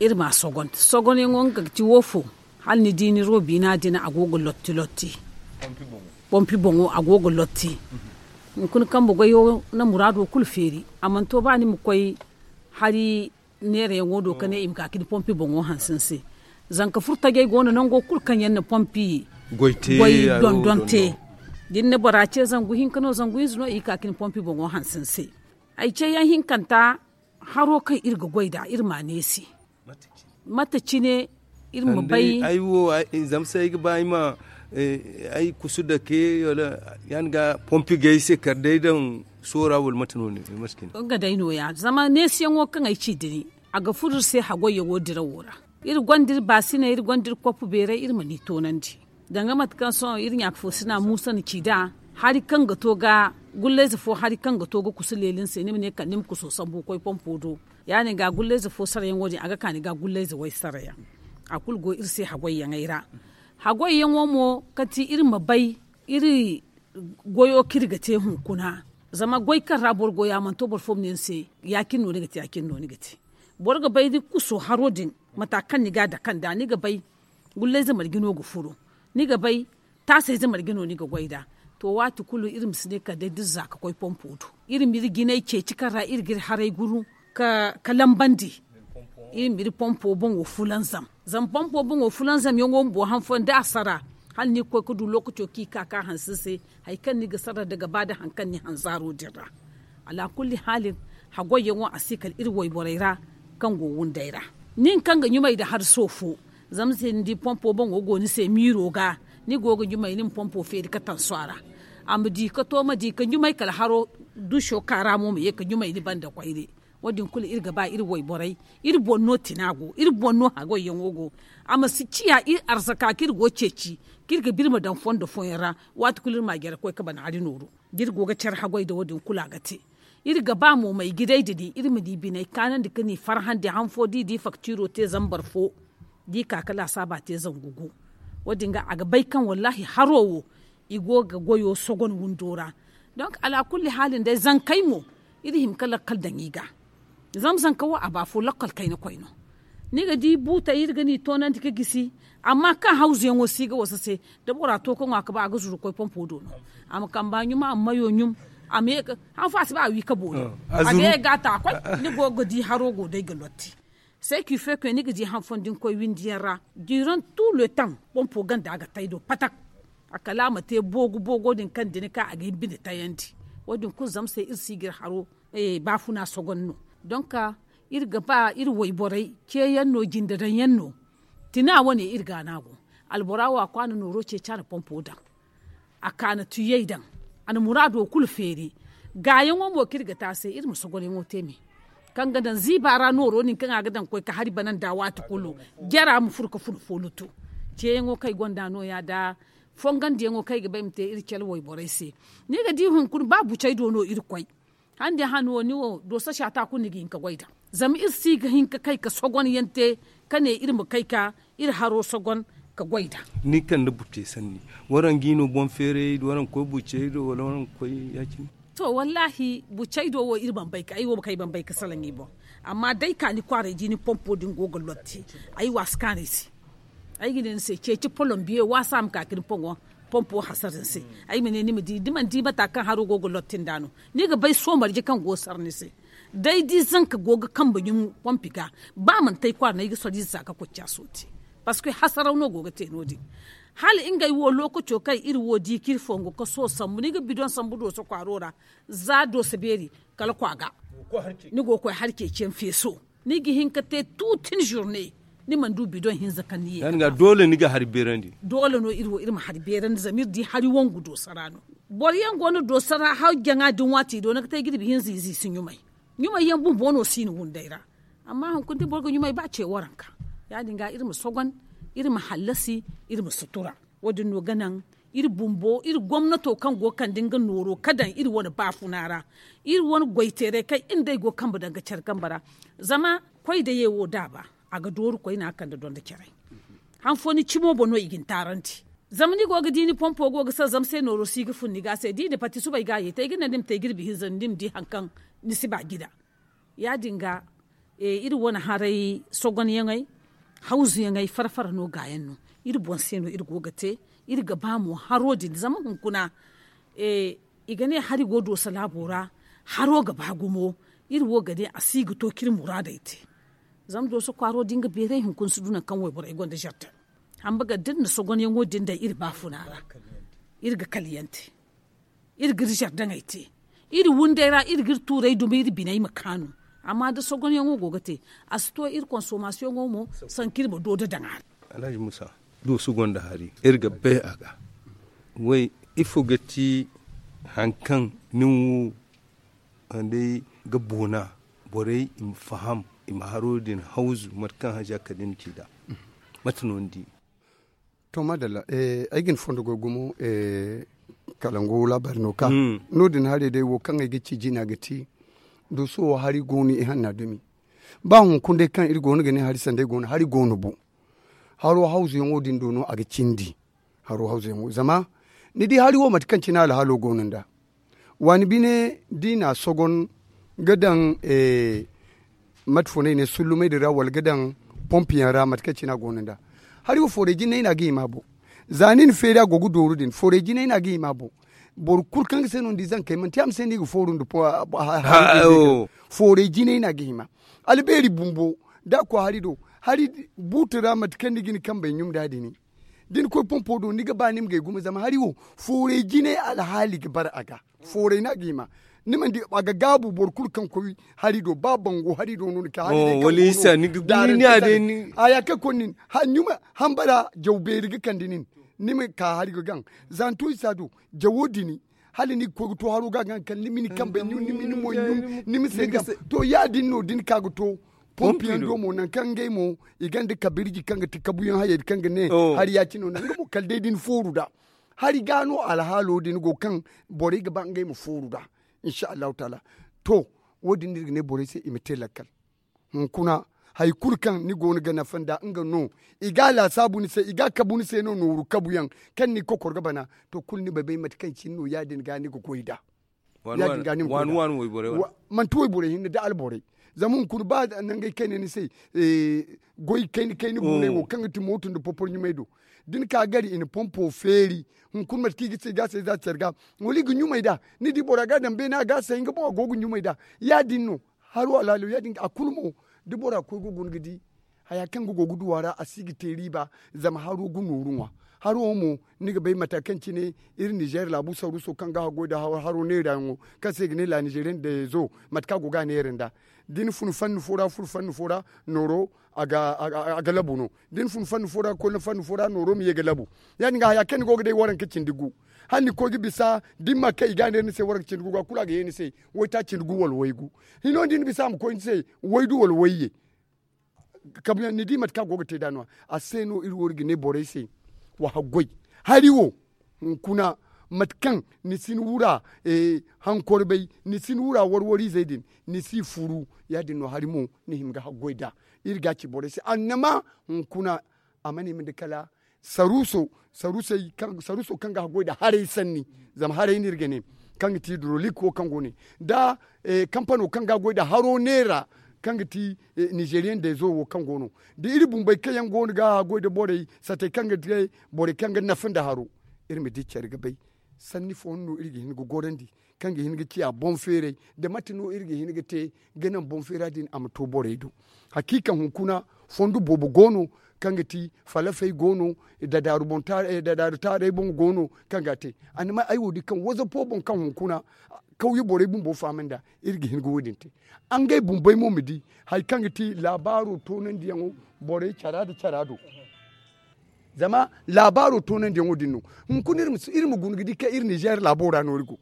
iri ma a sogon sogonyaŋo nga ga ti wo fo. Hala ni di ni robiina din a go ga lotti lotti pompi boŋo a go ga lotti. Hunkuna kambe goyo na muraado kulu feeri a mana to ba ni ma koy hari neerayaŋo do ka ne i ma ka ga ni pompi boŋo hanse ni se. Zanka furo tajey go no nango kulu kaŋ yaŋ na pompi goy dondon te. Da ni na bora ce zangu hinka no zangu hinza no i ga ka ka ni pompi boŋo hanse ni se. Ay ce yaŋ hinkanta haro kaŋ iri ga goy nd'a iri m'a neesi. Mate cine iri ma bay. Ay wo zama se ay ga ba ay ma ay kusu dake wala ya ni ga pompi ga ay se kala day daŋ soora wala mate no ne? Nga day nooya zama neesiyaŋo kaŋ ay ci din a ga furo iri se hagoyyaŋo dirawo ra. Iri gonda iri baasiney iri gonda iri koppu beeray iri mana i toonandi. Danga mate kaŋ sohõ iri ɲaaka fo sina muusa na ci nd'a hari kaŋ ga to ga gullayze fo hari kaŋ ga to ga kusu leeli ni se ni ma ne kala ni ma kuso sambu ga koy pompo do. Ya- din ga gullayze fo sarayaŋo din a ga ka ni ga gullayze way sarayaŋ. A kulu go iri se hagoyyaŋey ra. Hagoyyaŋo mo kala ti iri ma bay iri goyo kaŋ iri ga te hunkuna. Zama goy kaŋ ra boro go ya a mana to boro fo ma ne ni se ya- cine no ni ga te ya- cine no ni ga te. Boro ga bay ni kuso haro din mata kaŋ ni ga a dake nd'a ni ga bay. Gullayze marje no ga furo ni ga bay. Taasayze marje no ni ga goy nd'a. To waati kulu iri ma si ne kala day da iri za ga koy pompo do. Iri ma iri jinay ceeci kaŋ ra iri ga iri haray guru ka lambandi. Iri ma iri pompo boŋo fulanzam. Zama pompo boŋo fulanzamyaŋo bumbo han fooyaŋ da a sara hala ni ga koy ga du lookaco kaŋ i ga ka ga a hanse ni se. Hari kaŋ ni ga sara nda ga ba nda hari kaŋ ni hanzaaro din ra. Alaakulli haalin hagoyyaŋo a si kala iri wayborey ra kaŋ go wunday ra. Nin kaŋ ga ɲumay nda hari soofo zama se ni di pompo boŋo go ni se miiro ga ni go ga ɲumay ni ma pompo feeri ga tansu a ra. A ma di ga to ma di ga ɲumay kala haro duso ka ra mo ma ye ga ɲumay ni banda koyne. Wo- din kulu iri ga ba iri wayborey iri boŋ no tina go iri boŋ no hagoyyaŋo go. A ma si ciya iri arzaka kaŋ iri go ceeci kaŋ iri ga ba iri ma daŋ fondo fooyaŋ ra. Waati kulu iri ma a jare ga koy ga ban hari nooru da iri go ga care hagoy nda wo- din kulu a ga te. Iri ga ba mo may ga day da di iri ma di biney kaanandi ga ni farhandi han fo da i di faktiro te zambar fo da i ka ga laasaaba te zangu gu. Wo- din ga a ga bay kaŋ wallaahi haro wo i go ga goyo sogon windo ra. Donk alaakulli haalin day zankey mo iri hima ga lakkal daŋ i ga. Zama zanka wo a ba fo lakkal kayna koy no. Ni ga di buutey iri ga ni toonandi ga gisi. Amma kaŋ hawzuyaŋo si ga wasa se da bora to ga ŋwa ga ba a ga zuru ga koy pompo do no. A ma kamba ɲum a ma mayo ɲum. A ma ye ga han fo a si ba a wi ga boori. A ga ye ga a ta koy. Ni go ga di haro go day ga lotti. Seki feke ni ga di han fooyaŋ da ni koy windiyaŋ ra. Diran tu le taŋ pompo ganda ga tay do patak. A kala a ma te boogu boogo din kaŋ da ni ka a ga hin bine tayandi. Wo- din kulu zama se iri si ga iri haro baafuna sogon no. Donk iri ga ba iri wayborey ceeyaŋ no jinde daŋ yaŋ no. Tina wane iri ga a no a go. Albora wo a kwaana nooro ceeci a na pompo daŋ. A ka na tuyey daŋ. A na muraado kulu feeri. Gaayaŋo mo kaŋ iri ga te a se iri ma sogonyaŋo te me. Kaŋ ga daŋ ziiba ra nooro din kaŋ a ga daŋ ga koy ga hari bana nd'a waati kulu. Jara ma furo ga fun foolutu. Ceeyaŋo kaŋ ay gonda nooya nda fongandiyaŋo kaŋ ay ga ba ay ma te iri cale wayborey se. Ni ga di hunkuna ba bucey do no iri koy. Hande han wo ni wo doosa saata kulu ni ga hin ga goy nd'a. Zama iri si ga hin ga kay ga sogonyaŋ te ka ne iri ma kay ga iri haro sogon ga goy nd'a. Ni kande bucey sanni waraŋ ga i no boŋ feeray waraŋ ga koy bucey do wala waraŋ ga koy ya- cine? To wallaahi bucey do wo iri bambay ga ay wo ma kay bambay ga salaŋ i boŋ. Amma da ay ka ni kwaaray di ni pompo din go ga lotti. Ay waasi kaanay se. Ay ga ne ni se ceeci polombiye waasa ma ka ga ni pompo hasara ni se. Ay ma ne ni ma di da mana di mata kaŋ haro go ga lotti nd'a no. Ni ga bay soomarje kaŋ go ga sara ni se. Day da i zanka go ga kambe ɲum pompi ga ba mana te ay kwaara no ay ga soro ize za ga koy caaso te. Parceque hasaraw no go ga te no- din. Hala ngey wo lookaco kaŋ iri wo di kaŋ iri fongo ga sohõ sambu ni ga bidoŋ sambu dooso kwaaro ra. Za dooso beeri kala kwa ga. Ni go ga koy hari ceeciyaŋ feeso. Ni ga hin ga te tuutin zurne. Ni mana du bidoŋ hinza kaŋ ni ye ga doole ni ga hari beerandi. Doole no iri wo iri ma hari beerandi zama iri di hari wangu dooso ra no. Boro yaŋ go no dooso ra hari jaŋa din waati do ni ga te jirbi hinza ize i si ɲumay. Ɲumay yaŋ bumbo no si ni wunday ra. Amma hunkuna da boro ga ɲumay ba ce waranka. Ya- din ga iri ma sogon, iri ma hallasi, iri ma sutura. Wo- din no ga naŋ iri bumbo iri gomnato kaŋ go ga kande nga nooro ga daŋ iri wane baafuna ra. Iri wane goyteeray kaŋ iri nd'ey go ga kambe daŋ ga care kambe ra. Zama koy daye wo da a ba a ga dooru koyne a kande donda caray. Han fo ni cimo boŋ no i ga ni taarandi. Zama ni go ga di ni pompo go ga sara zama se nooro si ga fun ni ga se da i na pati suba ay ga a ye te ay ga naŋ ni ma te jirbi hinza ni ma di hari kaŋ ni si ba jida. Ya- din ga iri wane haray sogonyaŋey, hawzuyaŋey fara fara no gaayaŋ no. Iri boŋ se no iri go ga te. Iri ga ba mo haro din zama hunkuna i ga ne hari go dooso laabo ra. Haro ga ba gumo. Iri wo ga ne a si ga to kaŋ iri muraadey te. Zama dooso kwaaro da nga beeray hunkuna si du nangu kaŋ wayborey gonda zardin. Hamba ga da iri na sogonyaŋo din daŋ iri baafuna ra, iri ga kaliyaŋ te. Iri ga iri zardaŋey te. Iri wunday ra iri ga iri tuurey duma iri biney ma kaanu. Amma da sogonyaŋo go ga te, a si to iri konsomasiyoŋo mo, sanka iri ma doodo daŋ a ra. Alhaji musa, dooso gonda hari iri ga bay a ga. Way, ifo ga ti hari kaŋ nin wo, day ga boona borey i ma faham, i ma haro din hawzu mate kaŋ haja kala ni ci nd'a? Mate no ni di? To madalla, ay ga ni fondo goy gumo. Kala ngo laabaari no ka no- din haray day wo kaŋ ay ga ci jina ga ti. Dooso wo hari go no i hanna dumi. Ba hunkuna day kaŋ iri go no ga ne hari sanday go no hari go no bo. Haro hawzuyaŋo din do no a ga cindi. Haro hawzuyaŋo zama ni di hari wo mate kaŋ cine alhaalo go no nd'a. Waani bine da i na a sogon ga daŋ mate fo no ay ne sullumey din ra wala ga daŋ pompiyaŋ ra mate kaŋ cine a go no nd'a. Hari wo fooray jinay no a ga hima a boŋ. Za ni na feeri a go ga dooru din fooray jinay no a ga hima a boŋ. Boro kulu kaŋ ga se no ni di zankey manti a ma se no i ga fooru nda fooray jinay no a ga hima. Albeeri bumbo da a koy hari do, hari buutu ra mate kaŋ ni ga ni kambey ɲum nd'a din. Da ni koy pompo do ni ga ba ni ma gay gumo zama hari wo fooray jinay alhaali ga bara a ga. Fooray no a ga hima. Ni mana di a ga gaabu boro kulu kaŋ koy hari do ba bango hari do no ni ka hari day kaŋ go no. Haya kaŋ koy nin hambara jaw beeri ga kande nin. Ni ma ka hari ga gaŋ. Za ni to isa do jawo dini. Hala ni ga koy ga to haro ga gaŋ kala ni ma ni kambey ɲum ni ma ni moy ɲum ni ma se gaŋ. To ya- din no da ni ka ga to pompiyaŋ do mo nangu kaŋ ngey mo i gonda kabirji kaŋ ga ti kabuyaŋ hayey din kaŋ ga ne hari ya- cine no nga mo kala day da ni fooru nd'a. Hari ga no alhaalo din go kaŋ borey ga ba ngey ma fooru nd'a. Insa allahu taala. To, wo- din no iri ga ne borey se i ma te lakkal. Hunkuna hari kulu kaŋ ni go no ga nafa nd'a nga no. I ga a laasaabu ni se i ga a kabu ni se no nooru kabuyaŋ kaŋ ni kokor ga bana. To kulu ni bay bay mate kaŋ cine no ya- din ga ni ga goy nd'a. Manti wayborey hinne da alborey. Zama hunkuna ba nangey kayna ni se goy kayna kayna guuney wo kaŋ ga ti mooto nda popor ɲumay do. Da ni ka gari i na pompo feeri. Hunkuna mate kaŋ i ga te i ga a say za care ga wala i ga ɲumay nd'a. Ni di bora ga a daŋ beene a ga a say nga boŋ a go ga ɲumay nd'a. Ya- din no. Haro alhaalo ya- din ga a kulu mo. Da bora koy ga guna ga di haya kaŋ ga go ga du a ra a si ga te riiba. Zama haro ga nooru ŋwa. Haro wo mo ni ga bay mata kaŋ cine iri nizeer laabu saruuso kaŋ ga haggoy nda haro neerayaŋo kaŋ se i ga ne la nizeeriyaŋ dezo. Mate kaŋ a go ga a neera nd'a da ni fun fanni fo ra fun fanni fo ra nooro a ga labu no. Da ni fun fanni fo ra ga koy fanni fo ra nooro ma ye ga labu. Ya- din ga haya kaŋ ni go ga day waranka cindi gu. Hala ni koy ga bisa da ni ma kay i ga a neera ni se waranka cindi gu ga kulu a ga ye ni se. Waytaaci cindi gu wala waygu. Hino da ni bisa a ma koy ni se waydu wala wayye. Kabuyaŋ ni di mate kaŋ a go ga te nd'a no- ya a se no iri wo iri ga ne borey se. Wa haggoy hari wo hunkuna mate kaŋ ni si ni wura hankorbay ni si ni wura warwariizey din ni si furu. Ya- din no hari mo ni hima ga haggoy nd'a. Iri ga a ci borey se annama hunkuna a mana hima nda kala saruuso saruuso kaŋ ga haggoy nda haray sanni. Zama haray no iri ga ne kaŋ ga ti hidrolik wo kaŋ go ne nda kampano kaŋ ga a goy nda haro neera kaŋ ga ti nizeeriyaŋ dezo wo kaŋ go no da iri bumbey kaŋ yaŋ go no ga a goy nda borey satey kaŋ ga te borey kaŋ ga nafa nda haro. Iri ma di care ga bay sanni fooyaŋ no iri ga hin ga gorandi kaŋ ga hin ga ciya boŋ feeray nda mate no iri ga hin ga te ga naŋ boŋ feera din a ma to borey do. Hakiika hunkuna fondo boobo go no kaŋ ga ti falafey go no dadaaru taaray boŋ go no kaŋ ga a te. Annama ay wo di kaŋ wazapo boŋ kaŋ hunkuna kawye borey bumbo fahamay nd'a. Iri ga hin ga wo- din te ngey bumbey mo ma di hari kaŋ ga ti laabaaro toonandiyaŋo borey cara nda cara do. Zama laabaaro toonandiyaŋo din no hunkuna iri ma guna ga di kaŋ iri nizeer laabo ra no iri go.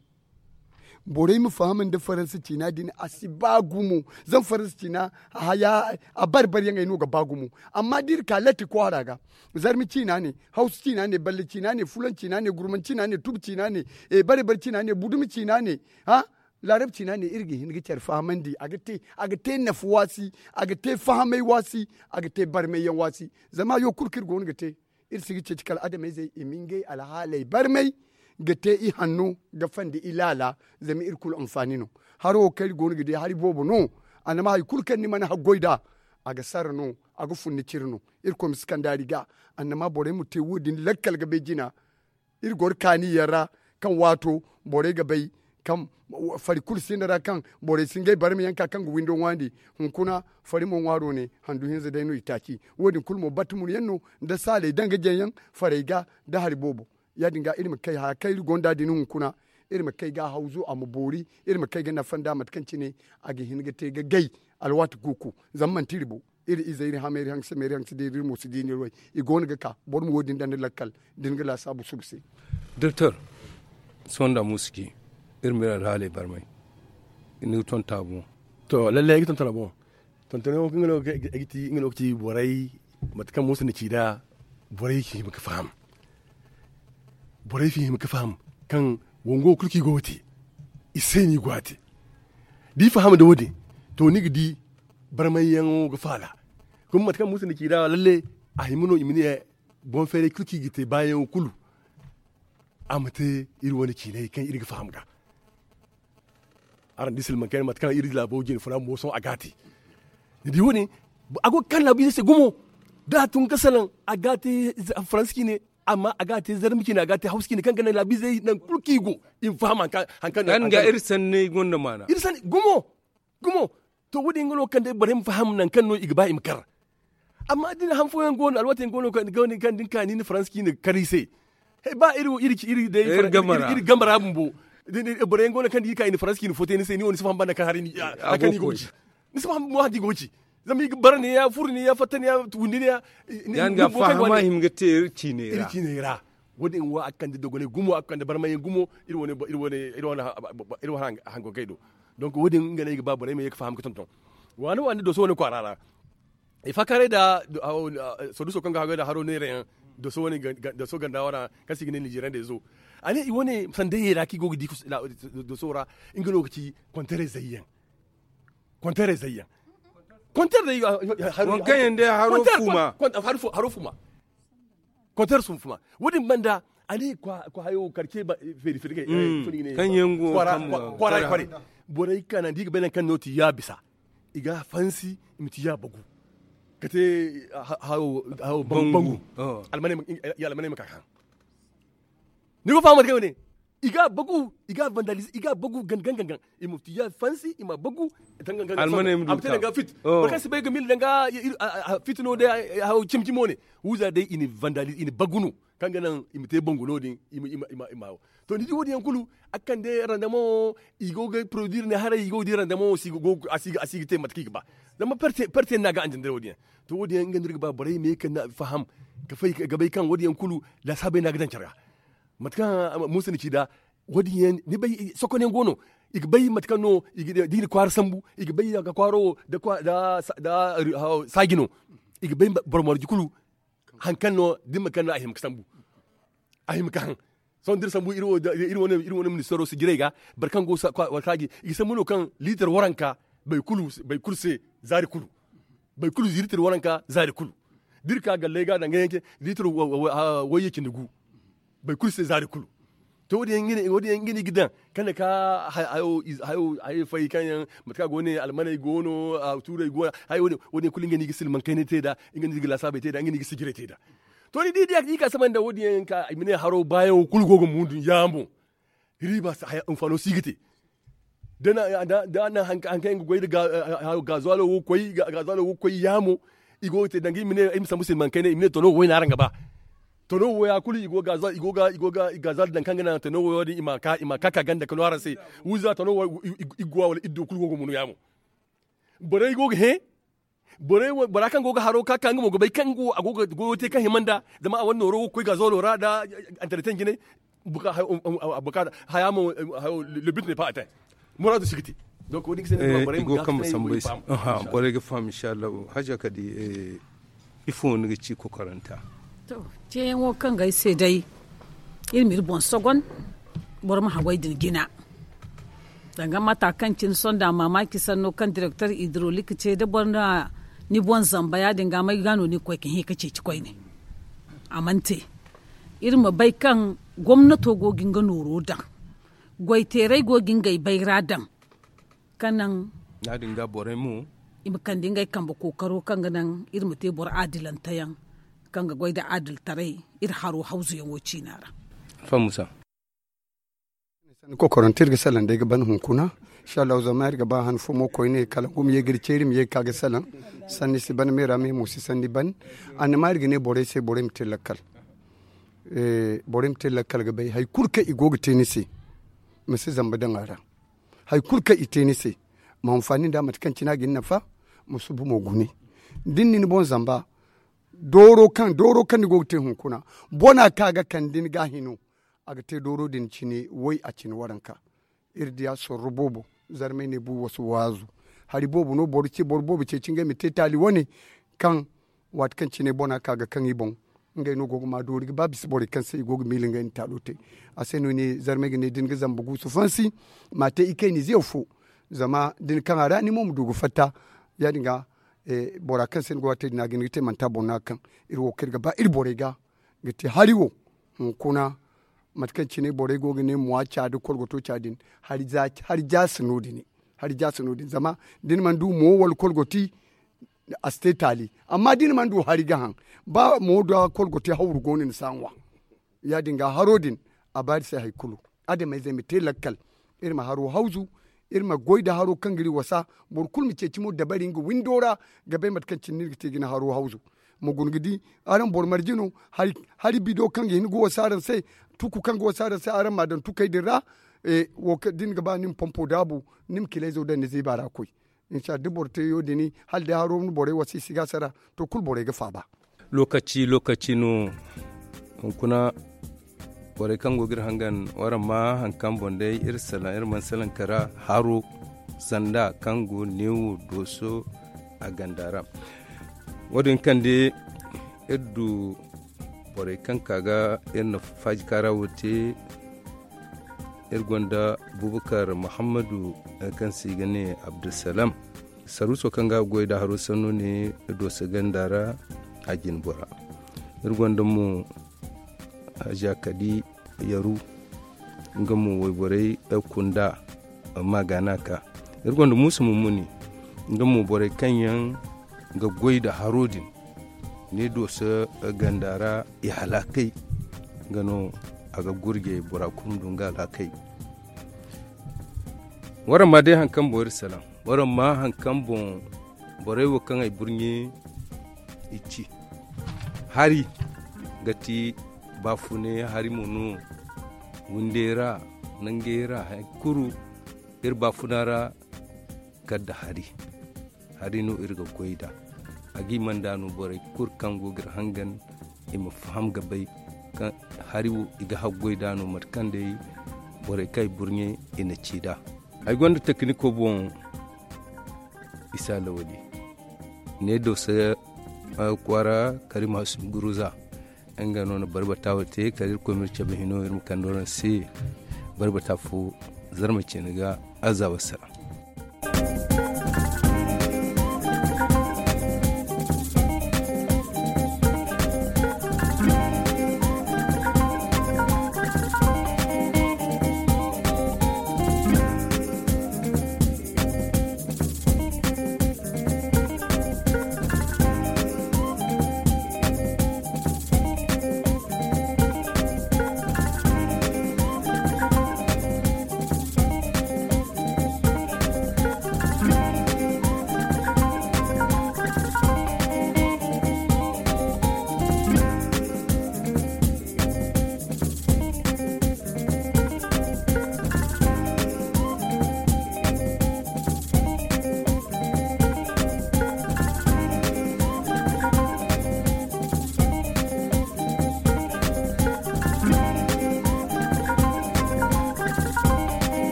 Borey ma faham nda faransa ciina din a si ba gumo. Zama faransa ciina a bare bare yaŋey no ga ba gumo. Amma da iri ka latti kwaara ga zarma ciina ne, hawsa ciina ne, balle ciina ne, fulan ciina ne, gurman ciina ne, tubu ciina ne, bare bare ciina ne, budumi ciina ne, laarab ciina ne iri ga hin ga care fahamandi a ga te nafa waasi, a ga te fahamay waasi, a ga te barmay yaŋ waasi. Zama hayo kulu kaŋ iri go no ga te iri si ga ceeci kala adamayzey i ma ngey alhaaley barmay ga te i hanno ga fandi i laala. Zama iri kulu anfaani no. Haro wo kaŋ iri go no ga di hari boobo no. Annama hari kulu kaŋ ni mana haggoy nd'a a ga sara no, a ga fun ni cire no. Irkoy ma si kand'ari ga. Annama borey ma te wo- din lakkal ga bay jina. Iri goro kaani yaŋ ra kaŋ waato borey ga bay Kaŋ fari kulu sinda ra kaŋ borey si ngey barma yaŋ ka kaŋ ga windo ŋwaandi. Hunkuna fari mo ŋwaaro ne handu hinza day no i taaci. Wo- din kulu mo battumur yaŋ no nda saaley daŋ ga jaŋ yaŋ farey ga nda hari boobo. Ya- din ga iri ma kay haya kaŋ iri gonda din hunkuna, iri ma kay ga a hawzu a ma boori. Iri ma kay ga nafa nda mate kaŋ cine a ga hin ga te ga gay. Alwaati kuuku zama manti iri bo, iri ize iri hame iri hanse me iri hanse de iri mo si di ni way. I go no ga ka boro ma wo- din daŋ ni lakkal da ni ga laasaabu suba se. Doktor, sohõ nda muusu ci iri ma iri alhaaley barmay. Ni ga ton taabu. To lallai ay ga ton taabu. Tontono wo kaŋ ga no ga ti nga no ga ci borey mate kaŋ muusu na ci nd'a. Borey si hima ga faham. Borey si hima ga faham kaŋ wango kulu kaŋ i go ga te i se no i go a te. Da i faham nda wo- din to ni ga di barmayyaŋo ga faala. Kuma mate kaŋ muusu na ci nd'a lalle a hima no i ma ne boŋ feeray kulu kaŋ i ga te baayaŋo kulu. A ma te iri wane ciinay kaŋ iri ga faham ga. Araŋ di silmaŋ kayna mate kaŋ iri laabo jine funa moosoŋ a ga a te. Ni di wo- din a go ga kaŋ laabiizey se gumo. Da a tun ga salaŋ a ga a te faransa ciine. Amma a ga a te zarma ciine a ga a te hawsa ciine kaŋ ga naŋ laabiizey nangu kulu kaŋ i go i ma faham hari kaŋ hari kaŋ ga iri sanney gonda maana. Iri sanni gumo. Gumo. To wo- din nga no kaŋ day borey ma faham nangu kaŋ no i ga ba i ma kar. Amma da ni han fooyaŋ go no alwaati yaŋ go no kaŋ da ni ka ni na faransa ciine ga kar i se. Ba iri day iri game ra bumbo. Borey yaŋ go no kaŋ da i ka i na faransa ciine foote ni se ni wo ni si faham banda kaŋ hari ni si faham bumbo hari kaŋ i go ga ci. Zama i ga bara ne ya furo ne ya fatta ne ya wundi ne ya. Ya- din ga fahama hima ga te iri ciiney ra. Wo- din wo a ga kande dogonay gumo a ga kande barmayaŋ gumo. Iri wane hango kay do. Donk wo- din nga no ay ga ba borey ma ye ga faham ga tonton. Waani waani doso wane kwaara ra. I faakaaray nda soduso kaŋ ga haggoy nda haro neera yaŋ. Doso ganda wara kaŋ se i ga ne nizeeriyandey zo. A ne i wane sandayey ra kaŋ i go ga di doso ra. Nga no ga ci kontarey zayyaŋ. Kontarey zayyaŋ. Kontarey zayyaŋ. Haro fuma. Kontarey fuma. Wo- din banda a ne kwaara hayo karce feeri feeri kaŋ yaŋ go kwaara kwaara. Borey kaŋ naŋ da i ga bay nangu kaŋ no ti ya bisa. I ga a fansi i ma ti ya bagu. Ka te hawo bangu. Almaney ma ka ga haŋ. Ni go faham mate kaŋ wane i ga a bagu i ga a vandalize i ga a bagu gangan gangan. I ma ti ya fansi i ma a bagu. Almaney ma du ka a ma te danga fit. Boro kaŋ si bay ga mil danga fit no day. Hawo cimi cimo ne. Wuza day i na vandalize i na bagu no. Kaŋ ga naŋ i ma te bangu no- din. I ma hawo. To ni di wo- din yaŋ kulu a ga kande randama wo. I go ga produire ne haray i go ga di randama wo a si ga te mate kaŋ i ga ba. Zama perte no a ga anjandare wo- din yaŋ. To wo- din yaŋ nga no iri ga ba borey ma ye ga faham ga bay kaŋ wo- din yaŋ kulu laasaabey no a ga daŋ care ga. Mate kaŋ muusa na ci nd'a wo- din yaŋ ni bay sokonyaŋ go no. I ga bay mate kaŋ no da i na kwaara sambu i ga bay a ga kwaaro wo nda saaji no. I ga bay boro marje kulu. Hari kaŋ no da ni ma kaŋ no a hima ga sambu. A hima ga haŋ. Sohõ da iri sambu iri wane ministeero sijirey ga boro kaŋ go ga saaji i ga sambu no kaŋ liitar waranka. Boro kulu se zaari kulu. Boro kulu liitar waranka zaari kulu. Da iri ka galley ga danga yaŋ ce liitar wayye cindi gu. Boro kulu se zaari kulu. To wo- din yaŋ nga no i ga daŋ kaŋ na ka hayo fay kaŋ yaŋ mate kaŋ a go ne almaney go no. Tuurey go no. Wo- din yaŋ kulu nga no i ga silmaŋ kaynay te nd'a. Nga no i ga laasaabey te nd'a nga no i ga sijirey te nd'a. To ni di da i ka saba nda wo- din yaŋ ka i ma ne haro baayaŋo kulu go ga mundu yaamo. Riiba hinfaano si ga te. Da a naŋ hari kaŋ yaŋ ga goy nda gaazuwaalo wo koy yaamo. I go ga te danga i ma ne ay ma sambu silmaŋ kaynay i ma ne tono wo wayna araŋ ga ba. Tono wo ya kulu i go ga gaazuwaalo daŋ kaŋ ga naŋ tono wo din i ma ka ka ganda ka no araŋ se. Wuza tono wo i ga wa wala iddo kulu go ga munu yaamo. Borey go ga hẽ. Bora kaŋ go ga haro ka ka nga mo ga bay kaŋ go a go ga goyo te kaŋ hima nda zama a wane nooro wo ga koy gaazoolo ra nda antareten jinay. Haya mo lebit ne pa ate muraadu si ga te. Donc wo- din ga se no borey ma ga sambu ay se. Borey ga faham inshallah. Haja kadi ifo ni ga ci kokoranta? To ceeyaŋo kaŋ ga ay se day iri ma iri boŋ sogon. Boro ma haggoy din jina danga mata kaŋ cine sonda mamaki sanno kaŋ direktor hidrolik ce da boro na ni boŋ zamba ya- din ga may ga no ni ga koy ga hẽ ga ceeci koyne. A mana te iri ma bay kaŋ gomnato go ga nga nooro daŋ goy teeray go ga ngey bayra daŋ. Kaŋ naŋ ya- din ga borey mo i ma kande ngey kambe kookaro kaŋ ga naŋ iri ma te boro adilante yaŋ kaŋ ga goy nda adiltaray iri haro hawzu yaŋo ciina ra. Alfa musa. Kokorante iri ga salaŋ day ga ban hunkuna. Inshallah zama iri ga ba han fo mo koyne kala ngu ma ye ga iri ceeri ma ye ga ka ga salaŋ. Sanni si ban meera me mo si sanni ban. Annama iri ga ne borey se borey ma te lakkal. Borey ma te lakkal ga bay hari kulu kaŋ i go ga te ni se, ma si zamba daŋ a ra. Hari kulu kaŋ i te ni se, ma hanfaani nda mate kaŋ cine a ga ni nafa. Ma subu mo gune da ni na ni boŋ zamba. Dooro kaŋ dooro kaŋ ni go ga te hunkuna, bona kaŋ a ga kande ni ga hino. A ga te dooro din cine way a cine waranka. Iri diya sorro boobo, zarmay ne bu wasu waazu. Hari boobo no boro ce boro boobo ceeci ngey ma te taali wane. Kaŋ waati kaŋ cine bona kaŋ a ga kaŋ i boŋ. Ngey no go ga ma doori ga ba bisa borey kaŋ se i go ga miila ngey na taalo te. A se no ne zarmay ga ne da ni ga zamba guusu fansi, ma te i kayna ize fo. Zama da ni kaŋ a ra ni mo ma du ga fatta. Ya- din ga bora kaŋ se ni go ga te din a ga hin ga te manti a boŋ no a ga kaŋ. Iri wo kaŋ iri ga ba iri borey ga ga te hari wo. Hunkuna mate kaŋ cine borey go ga ne muwa ca da kolgoto ca din. Hari jaasi no- din. Zama da ni mana du mo wala kolgoti, a si te taali. Amma da ni mana du hari ga haŋ, ba mo da kolgoti hawru go no ni si a ŋwa. Ya- din ga haro din a ba iri se hari kulu. Adamayzey ma te lakkal. Iri ma haro hawzu. Iri ma goy nda haro kaŋ ga iri wasa. Boro kulu ma ceeci mo dabari nga windo ra ga bay mate kaŋ cine no iri ga te ga ni haro hawzu. Ma guna ga di araŋ boro marje no. Hari bido kaŋ ga hin ga wasa araŋ se, tuku kaŋ ga wasa araŋ se araŋ m'a daŋ tukey din ra. Da ni ga ba ni ma pompo daabu, ni ma kilayzo daŋ ni ziiba ra koy. Insha da boro te yo- din hala day haro ni borey wasa i si ga a sara. To kulu borey ga faaba. Lokaci lokaci no. Hunkuna borey kaŋ go ga iri hangan waraŋ ma hari kaŋ boŋ day iri salaŋ iri mana salaŋ kara haro sanda kaŋ go neewo dooso a ganda ra. Wo- din kaŋ day iri du borey kaŋ ka ga iri na faaji kaara wo te. Iri gonda bubakar muhammadu kaŋ se i ga ne abdulsalam. Saruuso kaŋ ga goy nda haro sanno ne dooso ganda ra. A jine bora iri gonda mo haja kadi yaru. Nga mo wayborey kunda. Amma ga no a ka iri gonda muusa mummuni. Nga mo borey kaŋ yaŋ ga goy nda haro din ne dooso ganda ra i halakay. Nga no a ga gurje bora kulu du nga alhakey. Waraŋ ma day hari kaŋ boŋ iri salaŋ. Waraŋ ma hari kaŋ boŋ borey wo kaŋ ay burɲe i ci. Hari ga ti baafune hari mo no. Windey ra nangey ra hari kulu iri baafuna ra. Kala nda hari hari no iri ga goy nd'a. A ga i mana nd'a no borey kulu kaŋ go ga iri hangan i ma faham ga bay kaŋ hari wo i ga haggoy nd'a no mate kaŋ day borey kaŋ i burɲe i na ci nd'a. Ay gonda tekiniko boŋ isa lawali ne dooso kwaara kala i ma hasu guruza. Nga no na barbata wo te kala iri koy ma iri cabe hino iri ma kande waraŋ se. Barbata fo zarma cine ga aza wassara.